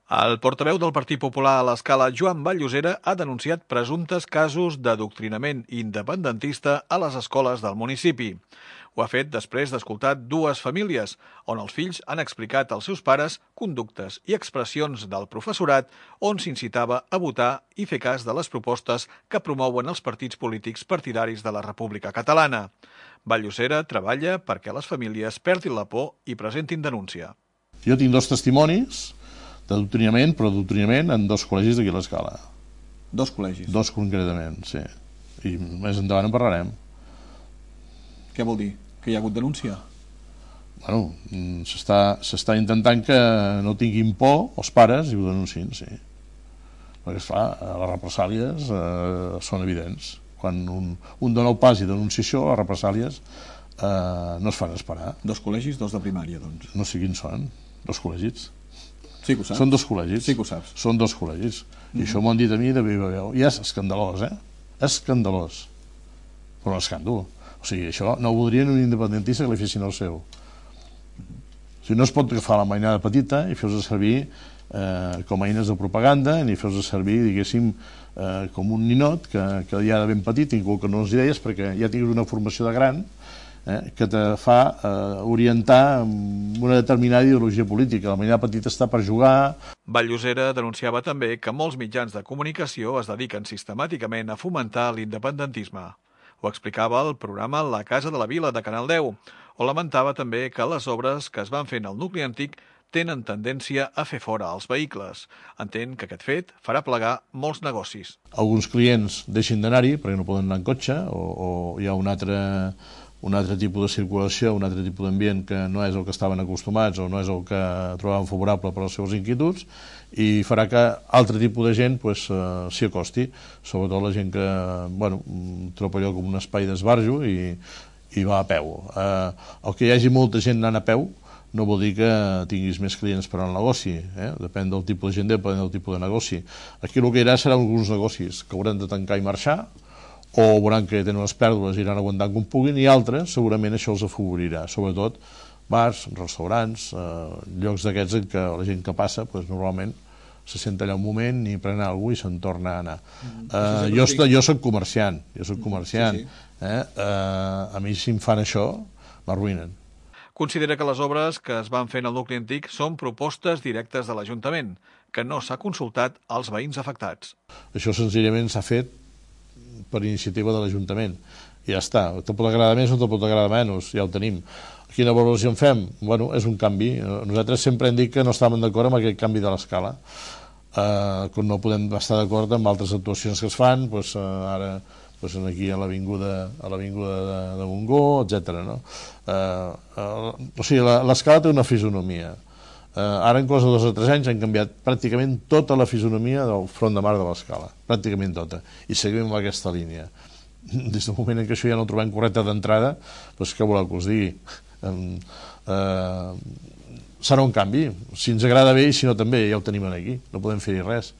El portaveu del Partit Popular a l'Escala, Joan Vall-Llosera, ha denunciat presumptes casos d'adoctrinament independentista a les escoles del municipi. Ho ha fet després d'escoltar dues famílies, on els fills han explicat als seus pares conductes i expressions del professorat on s'incitava a votar i fer cas de les propostes que promouen els partits polítics partidaris de la República Catalana. Vall-Llosera treballa perquè les famílies perdin la por i presentin denúncia. Jo tinc dos testimonis d'adoctrinament, però adoctrinament en dos col·legis d'aquí a l'Escala. Dos col·legis? Dos concretament, sí. I més endavant en parlarem. Què vol dir? Que hi ha hagut denúncia? Bueno, s'està intentant que no tinguin por els pares i ho denunciïn, sí. Perquè, esclar, les represàlies són evidents. Quan un dona el pas i denuncia això, les represàlies no es fan esperar. Dos col·legis, dos de primària, doncs. No sé quins són, dos col·legis. Sí que ho saps. Són dos col·legis. Sí que ho saps. Són dos col·legis. I això m'ho han dit a mi de viva veu. I és escandalós, Escandalós. Però un escàndol. O sigui, això no ho voldrien un independentista que li fessin el seu. O sigui, no es pot agafar la mainada petita i fer-los servir com a eines de propaganda, ni fer-los servir, diguéssim, com un ninot que ja de ben petit inculca unes idees perquè ja tinguis una formació de gran que te fa orientar una determinada ideologia política. La mainada petita està per jugar. Vall-Llosera denunciava també que molts mitjans de comunicació es dediquen sistemàticament a fomentar l'independentisme. Ho explicava el programa La Casa de la Vila de Canal 10, on lamentava també que les obres que es van fer en el nucli antic tenen tendència a fer fora els vehicles. Entén que aquest fet farà plegar molts negocis. Alguns clients deixin d'anar-hi perquè no poden anar en cotxe o hi ha un altre tipus de circulació, un altre tipus d'ambient que no és el que estaven acostumats o no és el que trobaven favorable per a les seves inquietuds, i farà que altre tipus de gent s'hi acosti, sobretot la gent que troba allò com un espai d'esbarjo i va a peu. El que hi hagi molta gent anant a peu no vol dir que tinguis més clients per al negoci, depèn del tipus de gent, depèn del tipus de negoci. Aquí el que hi haurà seran alguns negocis que hauran de tancar i marxar, o veuran que tenen unes pèrdues i iran aguantant com puguin, i altres segurament això els afavorirà, sobretot bars, restaurants, llocs d'aquests en què la gent que passa normalment se senta allà un moment i pren alguna cosa i se'n torna a anar. Jo soc comerciant, a mi si em fan això m'arruïnen. Considera que les obres que es van fer en el nucli antic són propostes directes de l'Ajuntament, que no s'ha consultat als veïns afectats. Això senzillament s'ha fet per iniciativa de l'Ajuntament. I ja està. Te pot agradar més o te pot agradar menys, ja ho tenim. Quina valoració en fem? Bueno, és un canvi. Nosaltres sempre hem dit que no estàvem d'acord amb aquest canvi de l'escala. Quan no podem estar d'acord amb altres actuacions que es fan, ara aquí a l'Avinguda de Montgó, etc. O sigui, l'escala té una fisonomia. Ara en cosa de 2 o 3 anys han canviat pràcticament tota la fisonomia del front de mar de l'Escala, pràcticament tota, i seguim amb aquesta línia. Des del moment en què això ja no ho trobem correcte d'entrada, què voleu que us digui? Serà un canvi, si ens agrada bé i si no també, ja ho tenim aquí, no podem fer-hi res.